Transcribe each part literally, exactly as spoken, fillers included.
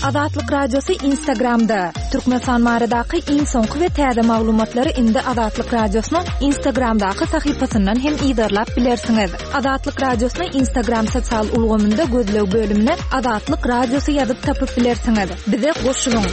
Azatlyk Radiosy Instagramda. Türkmenistan baradaky iň soňky we täze maglumatlary indi Azatlyk Radiosynyň Instagramdaky sahypasyndan hem yzarlap bilersiňiz. Azatlyk Radiosyny Instagram sosial ulgamynda gözleg bölümine Azatlyk Radiosy ýazyp tapyp bilersiňiz. Bize goşulyň.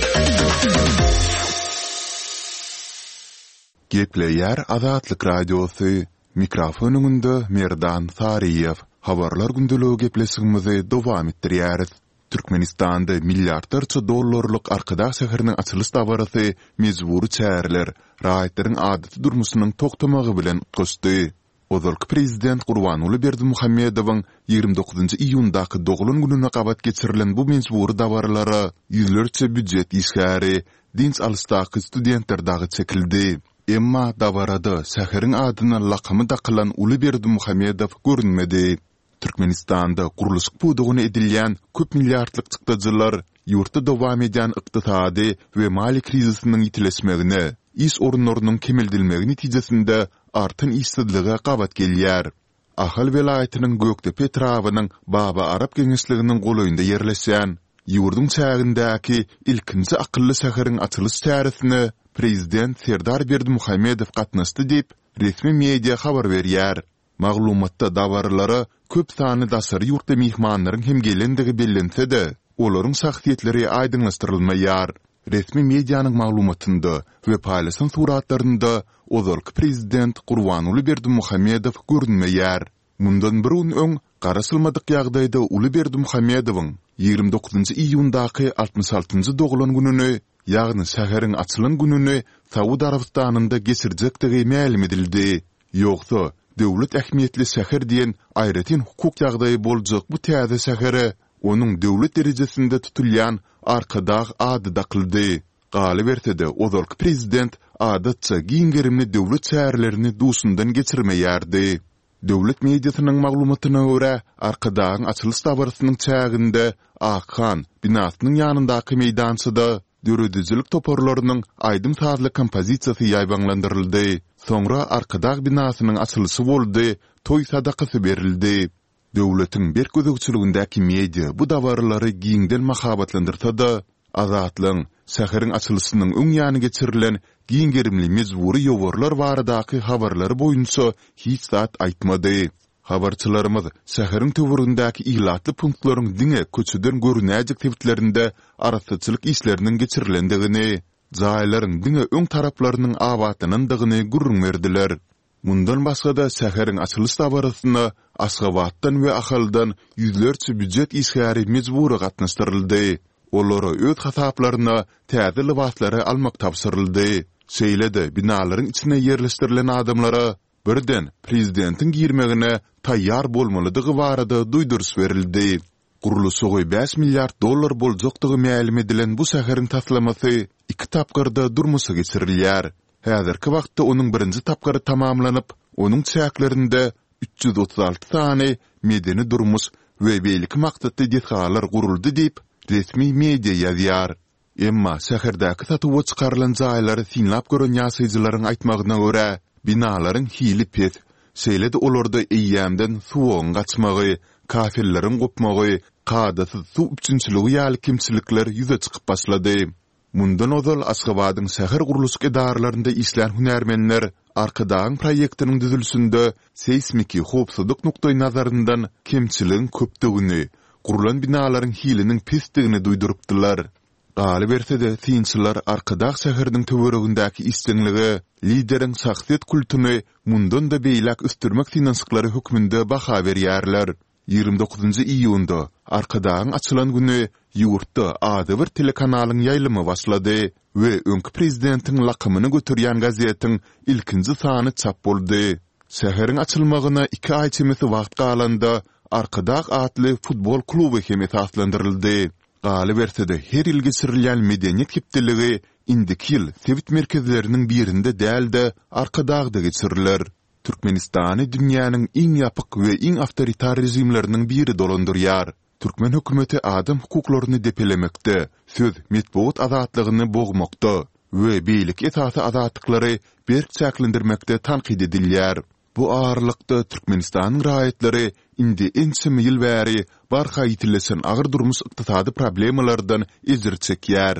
Gepleýär Azatlyk Radiosy, Mikrofon öňünde Merdan Saryýew. Habarlar gündeligi gepleşigimizi dowam etdirýäris. Türkmenistanda milliardlarça dollarlyk Arkadag şäheriniň açylyş dabarasy mejbury çäreler, raýatlaryň adaty durmuşynyň togtamagy bilen utgaşdy. Ozalky prezident Gurbanguly Berdimuhamedowyň ýigrimi dokuzynjy iýundaky doglan gününe gabat geçirilen bu mejbury dabaralara ýüzlerçe býujet işgäri, dynç alyşdaky studentler dagy çekildi. Emma dabarada şäheriň adyna lakamy dakylan uly Berdimuhamedow görünmedi. Türkmenistanda gurluşyk pudagyna edilýän köp milliardlyk çykdajylar ýurtda dowam edýän ykdysady we maliýe krizisiniň ýitileşmegine, iş orunlarynyň kemeldilmegi netijesinde artan işsizlige gabat gelýär. Ahal welaýatynyň Gökdepe etrabynyň Baba Arap geňeşliginiň golaýynda ýerleşýän, ýurduň çägindäki ilkinji akylly şäheriň açylyş çäresine prezident Serdar Berdimuhamedow gatnaşdy diýip, resmi media habar berýär. Maglumatda dabaralara köp sanly daşary ýurtly myhmanlaryň hem gelendigi bellense-de, olaryň şahsyýetleri aýdyňlaşdyrylmaýar. Resmi medianyň maglumatynda we paýlaşan suratlarynda ozalky prezident Gurbanguly Berdimuhamedow görünmeýär. Mundan bir gün öň, garaşylmadyk ýagdaýda uly Berdimuhamedowyň ýigrimi dokuzynjy iýundaky altmyş altynjy doglan gününi, ýagny şäheriň açylan gününi Saud Arabystanynda geçirjekdigi mälim edildi. Ýogsa, döwlet ähmiýetli şäher diýen aýratyn hukuk ýagdaýy boljak bu täze şähere onuň döwlet derejesinde tutulýan Arkadag ady dakyldy. Galyberse-de, ozalky prezident adatça giň gerimli döwlet çärelerini duşundan geçirmeýärdi. Döwlet mediasynyň maglumatyna görä, Arkadagyň açylyş dabarasynyň çäginde Akhan binasynyň ýanyndaky meýdançada Döredijilik toparlarynyň aýdym-sazly kompozisiýasy ýaýbaňlandyryldy. Soňra Arkadag binasynyň açylyşy boldy, toý sadakasy berildi. Döwletiň berk gözegçiligindäki media bu dabaralary giňden mahabatlandyrsa-da, Azatlygyň şäheriň açylyşynyň öň ýany geçirilen giň gerimli mejbury ýowarlar baradaky habarlary boýunça hiç zat aýtmady. Habarçylarymyz şäheriň töweregindäki ilatly punktlaryň diňe köçeden görünäýjek sebitlerinde arassaçylyk işleriniň geçirilendigini, jaýlaryň diňe öň taraplarynyň abatlanandygyny gürrüň berdiler. Mundan başga-da, şäheriň açylyş dabarasyna Aşgabatdan we Ahaldan ýüzlerçe býujet işgäri mejbury gatnaşdyryldy. Olara öz hasaplaryna täze lybaslary almak tabşyryldy. Şeýle-de, binalaryň içine ýerleşdirilen adamlara Birden, prezidentiň girmegine taýýar bolmalydygy barada duýduryş berildi. Gurluşygy bäş milliard dollar boljakdygy mälim edilen bu şäheriň taslamasy iki tapgyrda durmuşa geçirilýär. Häzirki wagtda onuň birinji tapgyry tamamlanyp, onuň çäklerinde üç ýüz otuz alty sany medeni-durmuş we beýleki maksatly desgalar guruldy diýip, resmi media ýazýar. Emma şäherdäki satuwa çykarylan jaýlary synlap gören ýaşaýjylaryň aýtmagyna görä, binalaryň hili pes, şeýle-de olarda eýýämden suwagyň gaçmagy, kafelleriň gopmagy, kadasyz suw üpjünçiligi ýaly kemçilikler ýüze çykyp başlady. Mundan ozal Aşgabadyň şäher gurluşyk edaralarynda işlän hünärmenler Arkadagyň proýektiniň düzülişinde seýsmiki howpsuzlyk nukdaýnazaryndan kemçiligiň köpdügini, gurlan binalaryň hiliniň pesdigini duýdurypdylar. Galyberse-de, synçylar Arkadag şäheriniň töweregindäki işjeňlige lideriň şahsyýet kultuny mundan-da beýläk ösdürmek synanyşyklary hökmünde baha berýärler. Ýigrimi dokuzynjy iýunda, Arkadagyň açylan güni ýurtda adybir telekanalyň ýaýlymy başlady we öňki prezidentiň lakamyny göterýän gazetiň ilkinji sany çap boldy. Şäheriň açylmagyna iki aý çemesi wagt galanda, Arkadag atly futbol kluby hem esaslandyryldy. Galyberse-de, her ýyl geçirilýän Medeniýet hepdeligi indiki ýyl sebit merkezleriniň birinde däl-de, Arkadagda geçiriler. Türkmenistany dünýäniň iň ýapyk we iň awtoritar režimleriniň biri dolandyrýar. Türkmen hökümeti adam hukuklaryny depelemekde, söz, metbugat azatlygyny bogmakda we beýleki esasy azatlyklary berk çäklendirmekde tankyt edilýär. Bu aralykda, Türkmenistanyň raýatlary indi ençeme ýyl bäri barha ýitileşen agyr durmuş-ykdysady problemalardan ejir çekýär.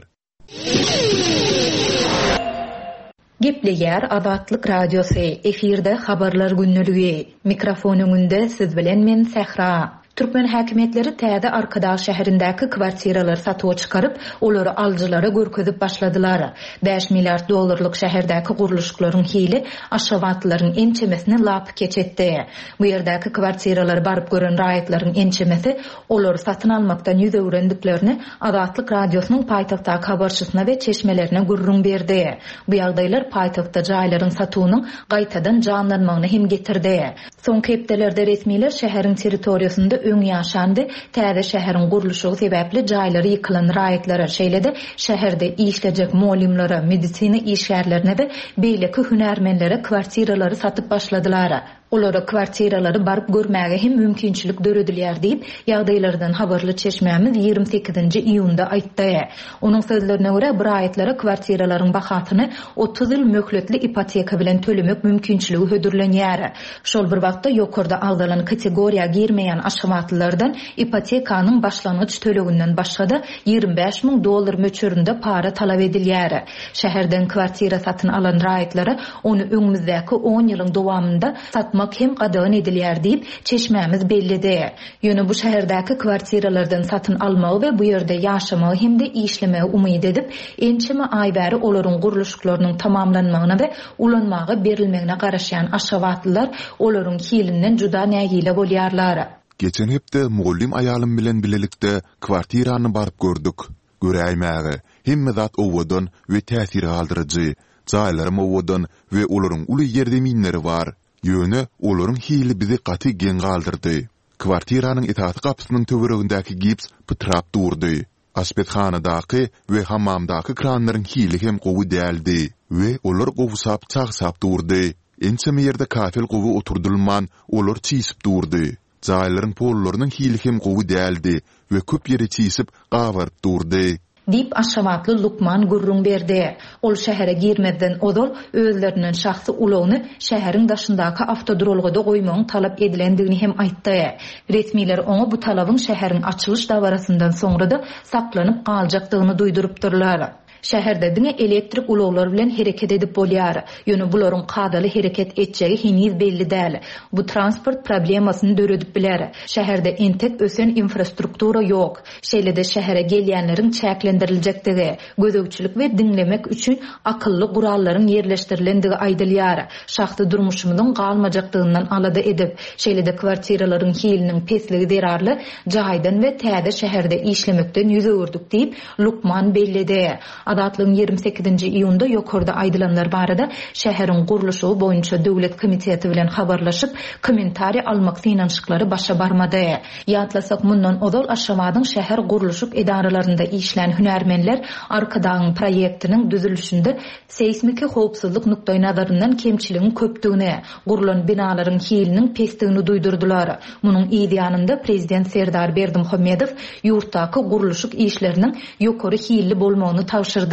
Gepleýär Azatlyk Radiosy, efirde Habarlar gündeligi. Mikrofon öňünde siz bilen men Sähra. Türkmen häkimiýetleri täze Arkadag şäherindäki kwartiralary satuwa çykaryp, olary alyjylara görkezip başladylar. Bäş milliard dollarlyk şäherdäki gurluşyklaryň hili aşgabatlylaryň ençemesini lapykeç etdi. Bu ýerdäki kwartiralary baryp gören raýatlaryň ençemesi olary satyn almakdan ýüz öwrendiklerini Azatlyk Radiosynyň paýtagtdaky habarçysyna we çeşmelerine gürrüň berdi. Bu ýagdaýlar paýtagtda jaýlaryň satuwynyň gaýtadan janlanmagyna hem getirdi. Soňky hepdelerde resmiler şäheriň territoriýasynda öň ýaşan we täze şäheriň gurluşygy sebäpli jaýlary ýykylan raýatlara, şeýle-de şäherde işlejek mugallymlara, medisina işgärlerine we beýleki hünärmenlere kwartiralary satyp başladylar. Olara kwartiralary baryp görmäge hem mümkinçilik döredilýär diýip, ýagdaýlardan habarly çeşmämiz ýigrimi sekizinji iýunda aýtdy. Onuň sözlerine görä, bu raýatlara kwartiralaryň bahasyny otuz ýyl möhletli ipoteka bilen tölemek mümkinçiligi hödürlenýär. Şol bir wagtda, ýokarda agzalan kategoriýa girmeýän aşgabatlylardan ipotekanyň başlangyç töleginden başga-da ýigrimi bäş müň dollar möçberinde para talap edilýär. Şäherden kwartira satyn alan raýatlara ony öňümizdäki on ýylyň dowamynda satmak hem gadagan edilýär diýip, çeşmämiz belledi. Ýöne bu şäherdäki kwartiralardan satyn almagy we bu ýerde ýaşamagy hem-de işlemegi umyt edip, ençeme aý bäri olaryň gurluşyklarynyň tamamlanmagyna we ulanmaga berilmegine garaşýan aşgabatlylar olaryň hilinden juda nägile bolýarlar. Geçen hepde mugallym aýalym bilen bilelikde kwartirany baryp gördük. Göräýmäge, hemme zat owadan we täsir galdyryjy. Jaýlaram owadan we olaryň uly ýerzeminleri bar. Ýöne olaryň hili bizi gaty geň galdyrdy. Kwartiranyň esasy gapysynyň töweregindäki gips pytrap durdy. Aşpezhanadaky we hammamdaky kranlaryň hili hem gowy däldi we olar gowşap çagşap durdy. Ençeme ýerde kafel gowy oturdylman, olar çişip durdy. Jaýlaryň pollarynyň hili hem gowy däldi we köp ýeri çişip, gabaryp durdy. Diýip, aşgabatly lukman gürrüň berdi. Ol şähere girmezden ozal özlerinden şahsy ulagyny şäheriň daşyndaky awtoduralgada goýmagyň talap edilendigini hem aýtdy. Resmiler oňa bu talabyň şäheriň açylyş dabarasyndan soňra-da saklanyp galjakdygyny duýdurypdyrlar. Şäherde diňe elektrik ulaglar bilen hereket edip bolýar. Ýöne bularyň kadaly hereket etjegi heniz belli däl. Bu transport problemasyny döredip biler. Şäherde entek ösen infrastruktura ýok. Şeýle-de şähere gelýänleriň çäklendiriljekdigi, gözegçilik we diňlemek üçin akylly gurallaryň ýerleşdirilendigi aýdylýar. Şahsy durmuşymyzyň galmajakdygyndan alada edip, şeýle-de kwartiralaryň hiliniň pesligi zerarly jaýdan we täze şäherde işlemekden ýüz öwürdük diýip, lukman belledi. Azatlygyň ýigrimi sekizinji iýunda ýokarda aýdylanlar barada şäheriň gurluşygy boýunça döwlet komiteti bilen habarlaşyp, kommentariý almak synanyşyklary başa barmady. Ýatlasak, mundan ozal Aşgabadyň şäher gurluşyk edaralarynda işlän hünärmenler Arkadagyň proýektiniň düzülişinde seýsmiki howpsuzlyk nukdaýnazaryndan kemçiligiň köpdügini, gurlan binalaryň hiliniň pesdigini duýdurdylar. Munuň yz ýanynda prezident Serdar Berdimuhamedow ýurtdaky gurluşyk işleriniň ýokary hilli bolmagyny tabşyrdy.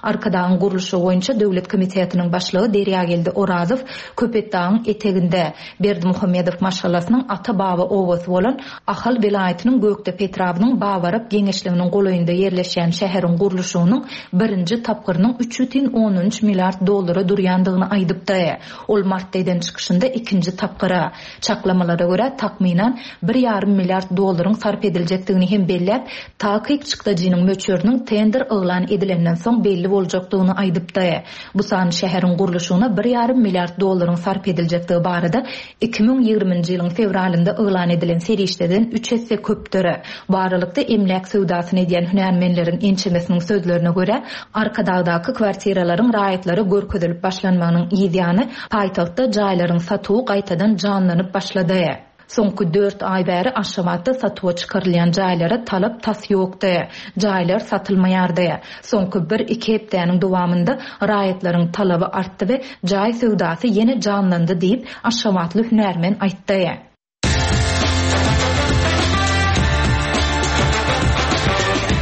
Arkadagyň gurluşygy boýunça döwlet komitetiniň başlygy Derýageldi Orazow Köpetdagyň eteginde Berdimuhamedow maşgalasynyň ata-baba obasy bolan Ahal welaýatynyň Gökdepe etrabynyň Babarap geňeşliginiň golaýynda ýerleşýän şäheriň gurluşygynyň birinji tapgyrynyň üç bütin ondan üç milliard dollara durýandygyny aýdypdy. Ol martda eden çykyşynda ikinji tapgyra, çaklamalara görä takmynan bir ýarym milliard dollaryň sarp ediljekdigini hem belläp, takyk çykdajynyň möçberiniň tender yglan edilenden soň belli boljakdygyny aýdypdy. Bu san şäheriň gurluşygyna bir ýarym milliard dollaryň sarp ediljekdigi barada iki müň ýigriminji ýylyň fewralynda yglan edilen serişdeden üç esse köpdür. Bu aralykda emläk söwdasyny edýän hünärmenleriň ençemesiniň sözlerine görä, Arkadagdaky kwartiralaryň raýatlara görkezilip başlanmagynyň yz ýany paýtagtda jaýlaryň satuwy gaýtadan janlanyp başlady. Soňky dört aý bäri Aşgabatda satuwa çykarylýan jaýlara talap tas ýokdy. Jaýlar satylmaýardy. Soňky bir-iki hepdäniň dowamynda raýatlaryň talaby artdy we jaý söwdasy ýene janlandy diýip, aşgabatly hünärmen aýtdy.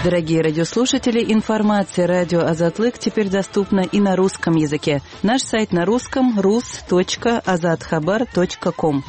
Дорогие радиослушатели, информация радио Азатлык теперь доступна и на русском языке. Наш сайт на русском рус точка азатхабар точка ком.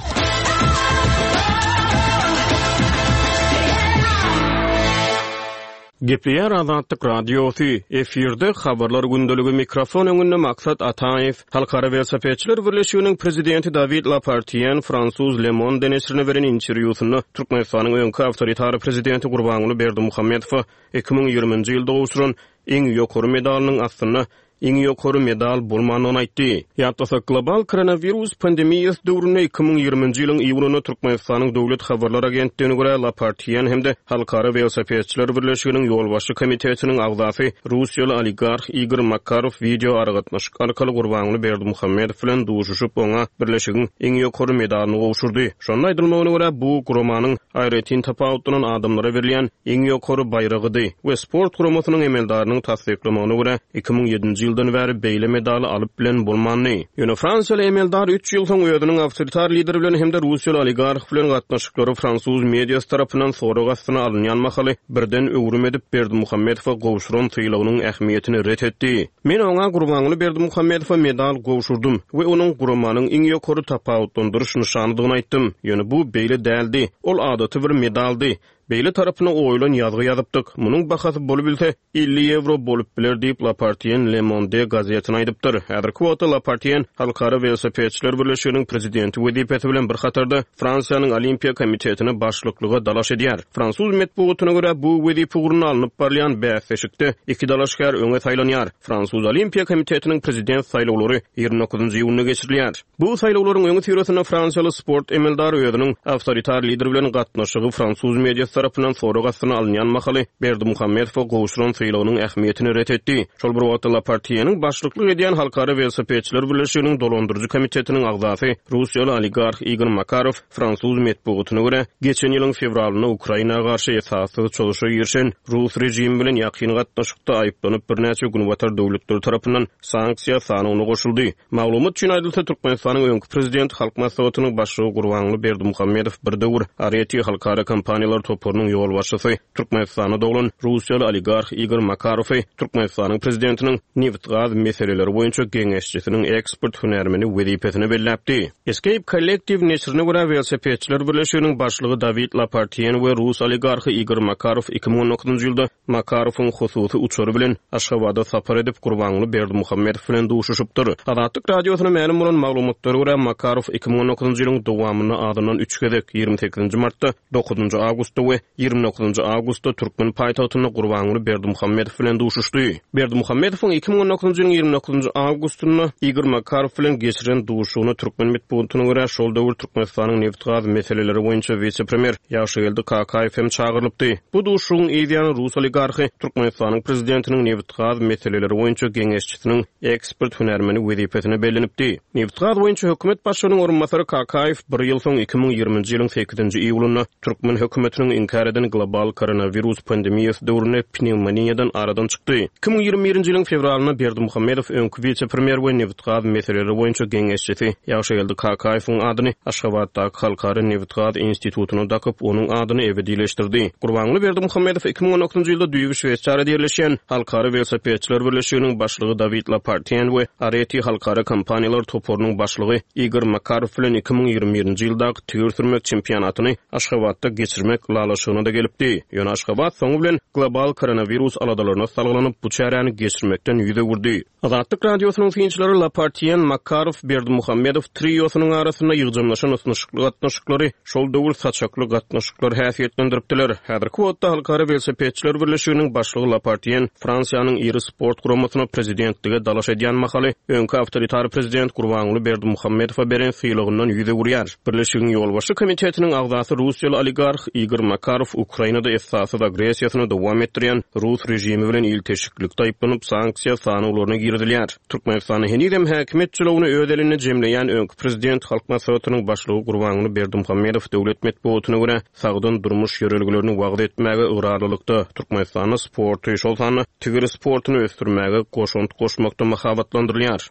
Gepleýär Azatlyk Radiosy, efirde habarlar gündeligi mikrofon öňünde Maksat Ataýew. Halkara Welosipedçiler birleşiginiň prezidenti Dawid Lapartien fransuz Le Monde neşirine beren interwýusynda Türkmenistanyň öňki awtoritar prezidenti Gurbanguly Berdimuhamedowa iki müň ýigriminji ýylda gowşuran iň ýokary medalynyň aslynda iň ýokary medal bolmandygyny aýtdy. Ýatlasak, global koronawirus pandemiýasy döwründe iki müň ýigriminji ýylyň iýunynda Türkmenistanyň Döwlet habarlar agentligine görä Lapartien hem-de Halkara Welosipedçiler birleşiginiň ýolbaşçy komitetiniň agzasy russiýaly oligarh Igor Makarow wideo aragatnaşyk arkaly Gurbanguly Berdimuhamedow bilen duşuşyp, oňa birleşigiň iň ýokary medalyny gowşurdy. Şonda aýdylmagyna görä, bu guramanyň aýratyn tapawutlanan adamlara berilýän iň ýokary baýragydy we sport guramasynyň emeldarynyň tassyklamagyna görä, iki müň ýedinji ýyldan bäri beýle medaly alyp bilen bolmandy. Ýöne fransiýaly emeldar üç ýyl soň özüniň awtoritar lider bilen hem-de russiýaly oligarh bilen gatnaşyklary fransuz mediasy tarapyndan sorag astyna alynýan mahaly birden öwrüm edip Berdimuhamedowa gowşuran sylagynyň ähmiýetini ret etdi. Men oňa Gurbanguly Berdimuhamedowa medal gowşurdym we onuň guramanyň iň ýokary tapawutlandyryş nyşanydygyny aýtdym. Ýöne bu beýle däldi. Ol adaty bir medaldy. Beýle tarapyna oýlan ýazgy ýazypdyk. Munuň bahasy bolup bilse elli ýewro bolup biler diýip Lapartien Le Monde gazetine aýdypdyr. Häzirki wagtda Lapartien Halkara Welosipedçiler birleşiginiň prezidenti wezipesi bilen bir hatarda Fransiýanyň Olimpiýa komitetine başlyklyga dalaş edýär. Fransuz metbugatyna görä bu wezipe ugrunda alnyp barylýan bäsleşikde iki dalaşgär öňe saýlanýar. Fransuz Olimpiýa komitetiniň prezident saýlawlary ýigrimi dokuzynjy iýunda geçirilýär. Bu saýlawlaryň öňi syrasynda fransiýaly sport emeldary özüniň awtoritar lider bilen gatnaşygy fransuz mediasy tarapyndan sorag astyna alynýan mahaly Berdimuhamedowa gowşuran sylagynyň ähmiýetini ret etdi. Şol bir wagtda Lapartieniň başlyklyk edýän Halkara Welosipedçiler birleşiginiň dolandyryjy komitetiniň agzasy russiýaly oligarh Igor Makarow fransuz metbugatyna görä geçen ýylyň fewralynda Ukraina garşy esassyz çozuşa girişen rus režimi bilen ýakyn gatnaşykda aýyplanyp birnäçe günbatar döwletleri tarapyndan sanksiýa sanawyna goşuldy. Maglumat üçin aýdylsa, Türkmenistanyň öňki prezidenti Halk Maslahatynyň başlygy Gurbanguly Berdimuhamedow bir döwür Areti halkara kompaniýalar toparynyň ýolbaşçysy Türkmenistanda doglan russiýaly oligarh Igor Makarowy Türkmenistanyň prezidentiniň neft-gaz meseleleri boýunça geňeşçisiniň ekspert hünärmeni wezipesine belläpdi. Escape Collective neşirine görä Welosipedçiler birleşiginiň başlygy Dawid Lapartien we rus oligarhy Igor Makarow iki müň on dokuzynjy ýylda Makarowyň hususy uçary bilen Aşgabada sapar edip Gurbanguly Berdimuhamedow bilen duşuşypdyr. Azatlyk Radiosyna mälim bolan maglumatlara görä Makarow iki müň on dokuzynjy ýylyň dowamynda azyndan üç gezek ýigrimi sekizinji martda, dokuzynjy awgustda we ýigrimi dokuzynjy awgustda türkmen paýtagtynda Gurbanguly Berdimuhamedow bilen duşuşdy. Berdimuhamedowyň iki müň on dokuzynjy ýylyň ýigrimi dokuzynjy awgustynda Igor Makarow bilen geçiren duşuşygyna türkmen metbugatyna görä şol döwür Türkmenistanyň neft-gaz meseleleri boýunça wise-premýer Ýagşygeldi Kakaýew hem çagyrylypdy. Bu duşuşygyň yzýany rus oligarhy Türkmenistanyň prezidentiniň neft-gaz meseleleri boýunça geňeşçisiniň ekspert hünärmeni wezipesine bellenipdi. Neft-gaz boýunça hökümet başlygynyň orunbasary Kakaýew bir ýyl soň iki müň ýigriminji ýylyň sekizinji iýulynda türkmen hökümetiniň inkär eden global koronawirus pandemiýasy döwründe pnewmoniýadan aradan çykdy. iki müň ýigrimi birinji ýylyň fewralynda Berdimuhamedow öňki wise-premýer we neft-gaz meseleleri boýunça geňeşçisi Ýagşygeldi Kakaýewiň adyny Aşgabatdaky Halkara Neft-gaz institutyna dakyp, onuň adyny ebedileşdirdi. Gurbanguly Berdimuhamedow iki müň on dokuzynjy ýylda düýbi Şweýsariýada ýerleşýän Halkara Welosipedçiler birleşiginiň başlygy Dawid Lapartien we Areti halkara kompaniýalar toparynyň başlygy Igor Makarow bilen iki müň ýigrimi birinji ýyldaky tigir sürmek çempionatyny Aşgabatda geçirmek ylalaşygyna da gelipdi. Ýöne Aşgabat soňy bilen global koronawirus aladalaryna salgylanyp bu çäräni geçirmekden ýüz öwürdi. Azatlyk Radiosynyň synçylary Lapartien, Makarow, Berdimuhamedow triosynyň arasynda ýygjamlaşan ysnyşykly gatnaşyklary şol döwür saçakly gatnaşyklar häsiýetlendiripdiler. Häzirki wagtda Halkara Welosipedçiler birleşiginiň başlygy Lapartien Fransiýanyň iri sport guramasyna prezidentlige dalaş edýän mahaly öňki awtoritar prezident Gurbanguly Berdimuhamedowa beren sylagyndan ýüz öwürýär. Birleşigiň ýolbaşçy komitetiniň agzasy russiýaly oligarh Igor Makarow Ukrainada esassyz agressiýasyny dowam etdirýän rus režimi bilen ilteşiklikde aýyplanyp sanksiýa sanawlaryna girizilýär. Türkmenistanyň henizem häkimiýet jylawyny öz elinde jemleýän öňki prezident Halk Maslahatynyň başlygy Gurbanguly Berdimuhamedow döwlet metbugatyna görä sagdyn durmuş ýörelgelerini wagyz etmäge ygrarlylykda Türkmenistanda sporty, şol sanda tigir sportuny ösdürmäge goşant goşmakda mahabatlandyrylýar.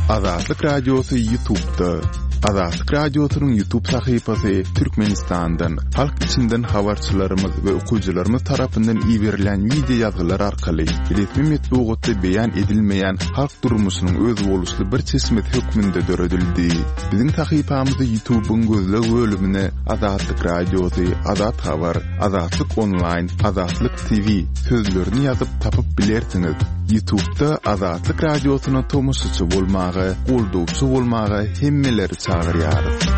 Azatlyk Radiosy YouTube'da. Azatlyk Radiosynyň YouTube sahypasy Türkmenistandan, halk içinden habarçylarymyz we okyjylarymyz tarapyndan iberilen wideo ýazgylar arkaly resmi metbugatda beýan edilmeýän halk durmuşynyň özboluşly bir çeşmesi hökmünde döredildi. Biziň sahypamyzy YouTube'yň gözleg bölümine Azatlyk Radiosy, Azat Habar, Azatlyk Online, Azatlyk T V sözlerini ýazyp tapyp bilersiňiz. YouTube'da Azatlyk Radiosyna tomaşaçy bolmaga, goldawçy bolmaga hemmeleri çagyrýarys.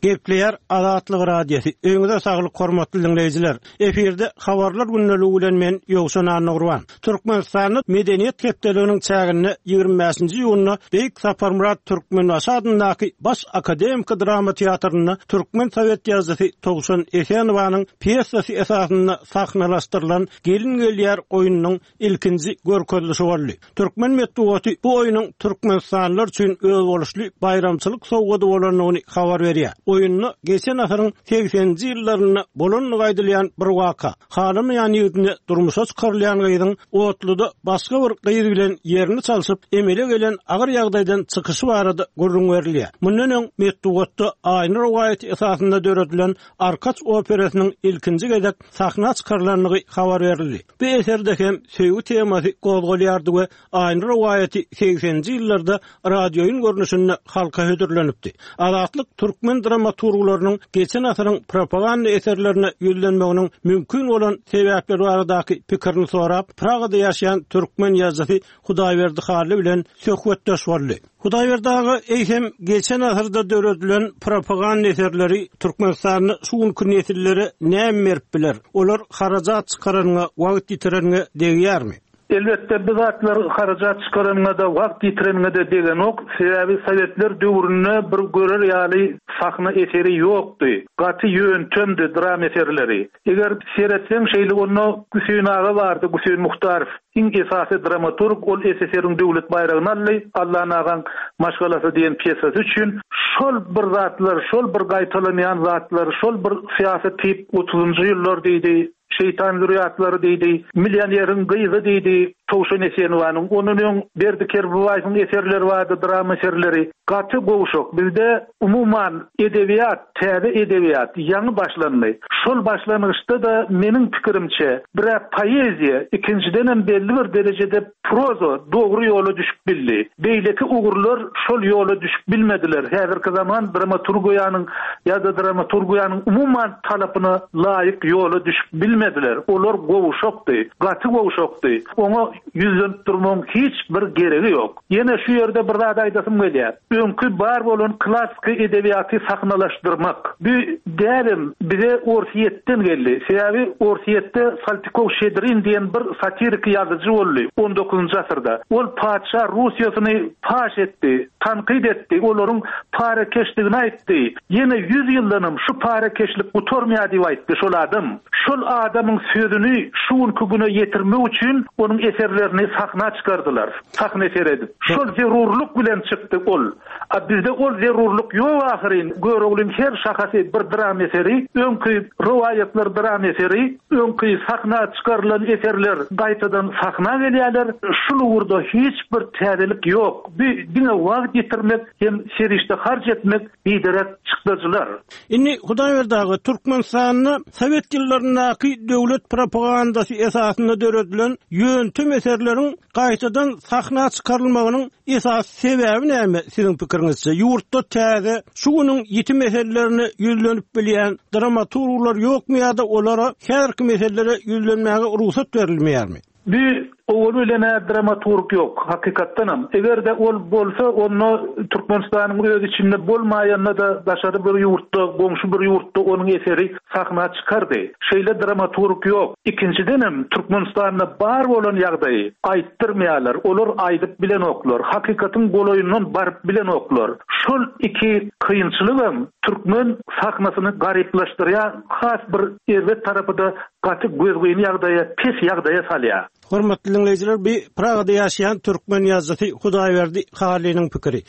Gepleýär Azatlyk Radiosy. Öňüňize saglyk hormatly diňleýjiler. Efirde habarlar gündeligi bilen men Ýowşan Annagurban. Türkmenistanda Medeniýet hepdeliginiň çäginde ýigrimi bäşinji iýunda Beýik Saparmyrat Türkmenbaşy adyndaky Baş akademiki drama teatrynda türkmen sowet ýazyjysy Towşan Esenowanyň pýesasy esasynda sahnalaşdyrylan Gelin gelýär oýnunyň ilkinji görkezilişi boldy. Türkmen metbugaty bu oýnuň Türkmenistanlylar üçin özboluşly baýramçylyk sowgady bolandygyny habar berýär. Oýunda geçen asyryň segseninji ýyllarynda bolandygy aýdylýan bir waka, halamaýan ýigidine durmuşa çykarylýan gyzyň otluda başga bir gyz bilen ýerini çalşyp, emele gelen agyr ýagdaýdan çykyşy barada gürrüň berilýär. Mundan öň metbugatda Aýna rowaýaty esasynda döredilen Arkaç operasynyň ilkinji gezek sahna çykarylandygy habar berildi. Bu eserde hem söýgi temasy gozgalýardy we Aýna rowaýaty segseninji ýyllarda radioýun görnüşinde halka hödürlenipdi. Azatlyk türkmen dramaturglarynyň geçen asyryň propaganda eserlerine ýüzlenmeginiň mümkin bolan sebäpleri baradaky pikirini sorap, Pragada ýaşaýan türkmen ýazyjysy Hudaýberdi Hally bilen söhbetdeş boldy. Hudaýberdi aga, eýsem geçen asyrda döredilen propaganda eserleri Türkmenistanda şu günki nesillere näme berip biler? Olar harajat çykaranyna, wagt ýitirenine degýärmi? Elbetde bu zatlar harajat çykaranyna da wagt ýitirenine de degenok. Sebäbi Sowetler döwründe bir görer ýaly sahna eseri ýokdy. Gaty ýöntemdi dram eserleri. Eger seretseň şeýle onda Hüseýin aga bardy, Hüseýin Muhtarow. Iň esasy dramaturg ol S S R-iň döwlet baýragyny aldy, Allan agaň maşgalasy diýen pýesasy üçin. Şol bir zatlar, şol bir gaýtalanýan zatlar, şol bir syýasy tip otuzynjy ýyllar diýdi, Şeytan zürriyatlary diýdi, Millioneriň gyzy diýdi, Towşan Esenowanyň, ondan öň Berdi Kerbabaýewiň eserleri bardy, drama eserleri. Gaty gowşak. Bizde umuman edebiýat, täze edebiýat ýaňy başlandy. Şol başlangyçda da meniň pikirimçe, bir poeziýa, ikinjiden hem belli bir derejede proza dogry ýola düşüp bildi. Beýleki ugurlar şol ýola düşüp bilmediler. Häzirki zaman dramaturgiýanyň ýa-da dramaturgiýanyň umuman talapyna laýyk ýola düşüp bilmediler. Olar gowşakdy, gaty gowşakdy. Oňa ýüzlenip durmagyň hiç bir geregi ýok. Ýene şu ýerde bir zat aýdasym gelýär. Öňki bar bolan klassiki edebiýaty sahnalaşdyrmak. Bu däbem bize Orsiýetden geldi. Sebäbi Orsiýetde Saltykov Şedrin diýen bir satirik ýazyjy boldy on dokuzynjy asyrda. Ol patyşa Russiýasyny paş etdi, tankyt etdi, olaryň parakeşligini aýtdy. Ýene ýüz ýyldanam şu parakeşlik gutarmaýar diýip aýtdy şol adam. Şol adamyň sözüni şu günki güne ýetirmek üçin onuň eserlerini sahna çykardylar. Sahna eser edip. Şol zerurlyk bilen çykdy ol. A bizde ol zerurlyk ýok ahyryn. Göroglyň her şahasy bir dram eseri, öňki rowaýatlar dram eseri, öňki sahna çykarylan eserler gaýtadan sahna gelýärler. Şul ugurda hiç bir täzelik ýok. Bu diňe wagt ýitirmek hem serişde harç etmek biderek çykdajylar. Indi Hudaýberdi aga, Türkmenistanda Sowet ýyllaryndaky döwlet propagandasy esasynda döredilen ýöntem eserleriň gaýtadan sahna çykarylmagynyň esasy sebäbi näme siziň pikiriňizçe? Ýurtda täze şu günüň ýiti meselelerine ýüzlenip bilýän dramaturglar ýokmy ýa-da olara her meselelere ýüzlenmäge rugsat berilmeýärmi? Bir owal bilen dramaturg ýok, hakykatdanam. Eger-de ol bolsa, onda Türkmenistanyň öz içinde bolmaýanda da daşary bir ýurtda, goňşy bir ýurtda onuň eseri sahna çykardy. Şeýle dramaturg ýok. Ikinjidenem Türkmenistanda bar bolan ýagdaýy aýtdyrmaýarlar. Olar aýdyp bilenoklar. Hakykatyň golaýyndan baryp bilenoklar. Şol iki kynçylygam türkmen sahnasyny garyplaşdyrýar, has bir erbet tarapy da gaty gözgyny ýagdaýa, pes ýagdaýa salýar. Hormatly dinleýjiler, bir Pragada ýaşaýan türkmen ýazyjysy Hudaýberdi Hallynyň pikiri.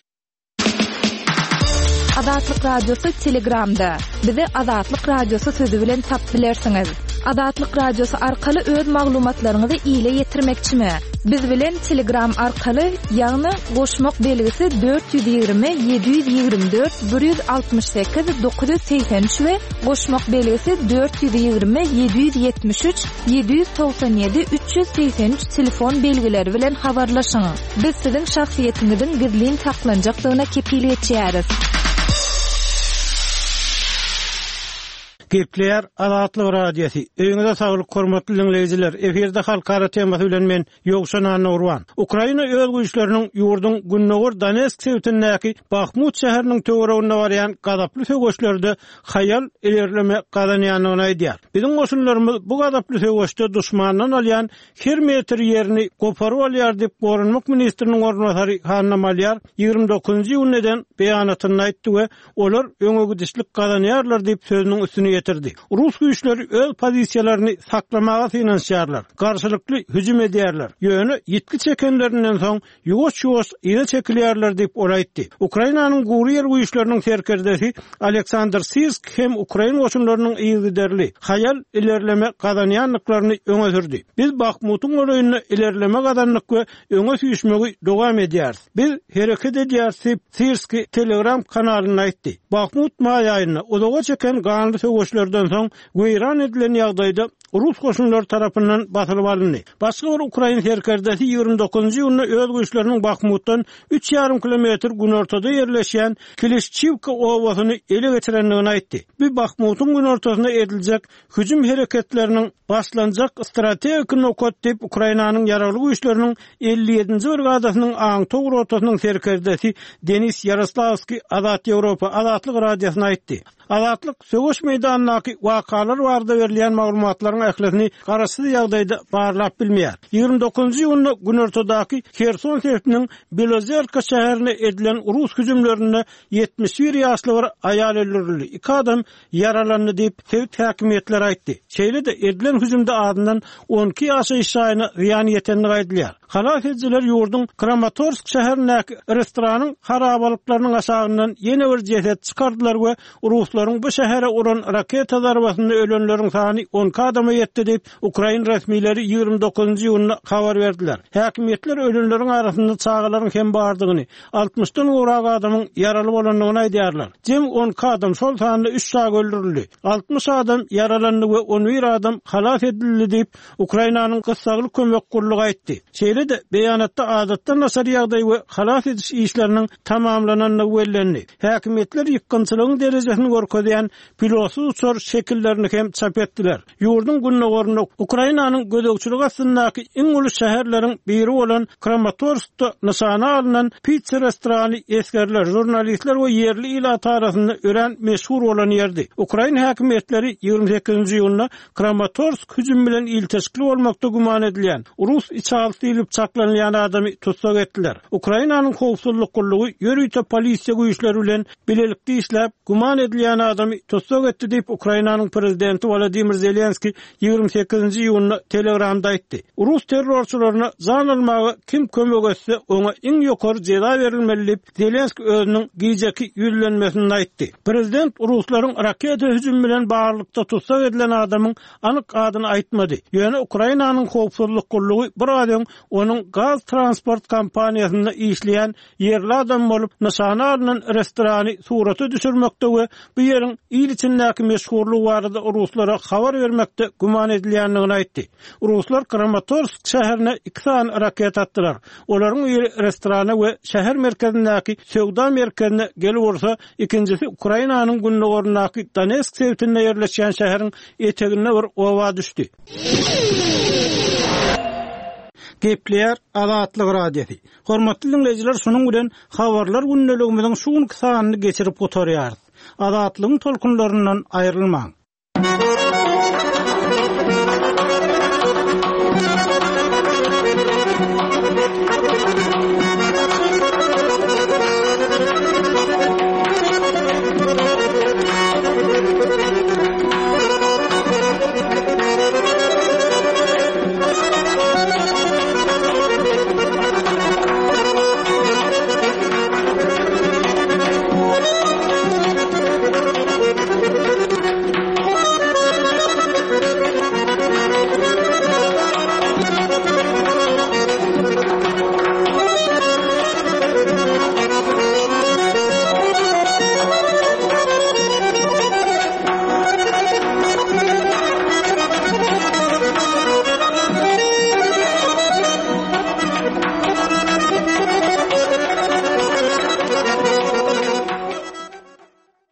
Azatlyk Radiosy Telegramda. Bizi Azatlyk Radiosy sözi bilen tap bilersiňiz. Azatlyk Radiosy arkaly öz maglumatlaryňyzy ile ýetirmekçimi? Biz bilen Telegram arkaly, ýagny goşmak belgisi dört ýüz ýigrimi ýedi ýüz ýigrimi dört bir ýüz altmyş sekiz dokuz ýüz segsen üç we goşmak belgisi dört ýüz ýigrimi ýedi ýüz ýetmiş üç ýedi ýüz togsan ýedi üç ýüz segsen üç telefon belgileri bilen habarlaşyň. Biz siziň şahsyýetiňiziň gizlin saklanjakdygyna kepil geçýäris. Gepleýär Azatlyk Radiosy. Öýüňize saglyk hormatly dinleýjiler. Efirde halkara temasy bilen men Ýowşan Annagurban. Ukraina öz güýçleriniň ýurduň Gündogar Donetsk sebitindäki Bahmut şäheriniň töwereginde barýan gazaply söweşlerde haýal ilerleme gazanýandygyny aýdýar. Biziň goşunlarymyz bu gazaply söweşde duşmandan alýan her metr ýerini goparyp alýar diýip Goranmak ministriniň orunbasary Hanna Malýar ýigrimi dokuzynjy iýunda eden beýanatynda aýtdy we olar öňe gidişlik gazanýarlar diýip sözüniň üstüni ýetirdi. Rus güýçleri öz pozisiýalaryny saklamaga synanyşýarlar, garşylykly hüjüm edýärler. Ýöne ýitgi çekenlerinden soň ýuwaş-ýuwaş yza çekilýärler diýip ol aýtdy. Ukrainanyň gury ýer güýçleriniň serkerdesi Aleksandr Sirsk hem ukrain goşunlarynyň yzygiderli haýal ilerleme gazanýandyklaryny öňe sürdi. Biz Bahmutyň golaýynda ilerleme gazandyk we öňe süýşmegi dowam edýäris. Biz hereket edýäris diýip Sirski Telegram kanalynda aýtdy. Bahmut maý aýynda uzaga çeken ganly söweşlerden soň weýran edilen ýagdaýda Rus goşunlary tarapyndan basylyp alyndy. Başga bir ukrain serkerdesi ýigrimi dokuzynjy iýunda öz güýçleriniň Bahmutdan üç ýarym kilometr günortada ýerleşýän Klişçiwka obasyny ele geçirendigini aýtdy. Bu Bahmutyň günortasyna ediljek hüjüm hereketleriniň başlanjak strategik nokat diýip Ukrainanyň ýaragly güýçleriniň elli ýedinji brigadasynyň aňtaw rotasynyň serkerdesi Denis Ýaroslawskiý Azat Ýewropa Azatlyk Radiosyna aýtdy. Azatlyk söweş meýdanyndaky wakalar barada berilýän maglumatlaryň ählisini garaşsyz ýagdaýda barlap bilmeýär. Ýigrimi dokuzynjy iýunda günortadaky Herson sebitiniň Belozerka şäherine edilen rus hüjümlerinde ýetmiş bir ýaşly bir aýal öldürildi, iki adam ýaralandy diýip sebit häkimiýetleri aýtdy. Şeýle-de edilen hüjümde azyndan on iki ýaşaýyş jaýyna zyýan ýetendigi aýdylýar. Halas edijiler ýurduň Kramatorsk şäherindäki restoranyň harabalyklarynyň aşagyndan ýene bir jeset çykardylar we ruslaryň bu şähere uran raketa zarbasynda ölenleriň sany on iki adama ýetdi diýip ukrain resmileri ýigrimi dokuzynjy iýunda habar berdiler. Häkimiýetler ölenleriň arasynda çagalaryň hem bardygyny, altmyşdan gowrak adamyň ýaraly bolandygyny aýdýarlar. Jem on iki adam, şol sanda üç çaga öldürildi. Altmyş adam ýaralandy we on bir adam halas edildi diýip Ukrainanyň gyssagly kömek gurlugy aýtdy. Şeýle-de beýanatda adatdan daşary ýagdaý we halas ediş işleriniň tamamlanandygy bellendi. Häkimiýetler ýykgynçylygyň derejesini görkezýän pilotsyz uçar şekillerini hem çap etdiler. Ýurduň gündogarynda Ukrainanyň gözegçilik astyndaky iň uly şäherleriň biri bolan Kramatorskda nyşana alnan pizza restorany esgerler, žurnalistler we ýerli ilat arasynda örän meşhur bolan ýerdi. Ukrain häkimiýetleri ýigrimi sekizinji iýunda Kramatorsk hüjüm bilen ilteşikli bolmakda güman edilýän rus içalysy diýlip çaklanylýan adamy tussag etdiler. Ukrainanyň howpsuzlyk gullugy ýörite polisiýa güýçleri bilen bilelikde işläp güman edilýän adamy tussag etdi diýip Ukrainanyň prezidenti Wladimir Zelenski ýigrimi sekizinji iýunda Telegramda aýtdy. Rus terrorçylaryna jan almaga kim kömek etse, oňa iň ýokary jeza berilmeli diýip Zelenski özüniň gijeki ýüzlenmesinde aýtdy. Prezident ruslaryň raketa hüjümi bilen baglylykda tussag edilen adamyň anyk adyny aýtmady. Ýöne Ukrainanyň howpsuzlyk gullugy bir az öň onuň gaz transport kompaniýasynda işleýän ýerli adam bolup nyşana alnan restorany surata düşürmekde we bu ýeriň il içindäki meşhurlygy barada ruslara habar bermekde güman edilýändigini aýtdy. Ruslar Kramatorsk şäherine iki sany raket atdylar. Olaryň biri restorana we şäher merkezindäki söwda merkezine gelip ursa, ikinjisi Ukrainanyň gündogaryndaky Donetsk sebitinde ýerleşýän şäheriň eteginde bir oba düşdi. Gepleýär Azatlyk Radiosy. Hormatly dinleýjiler, şunuň bilen habarlar gündeligimiziň şu günki sanyny geçirip gutarýarys. Azatlygyň tolkunlaryndan aýrylmaň.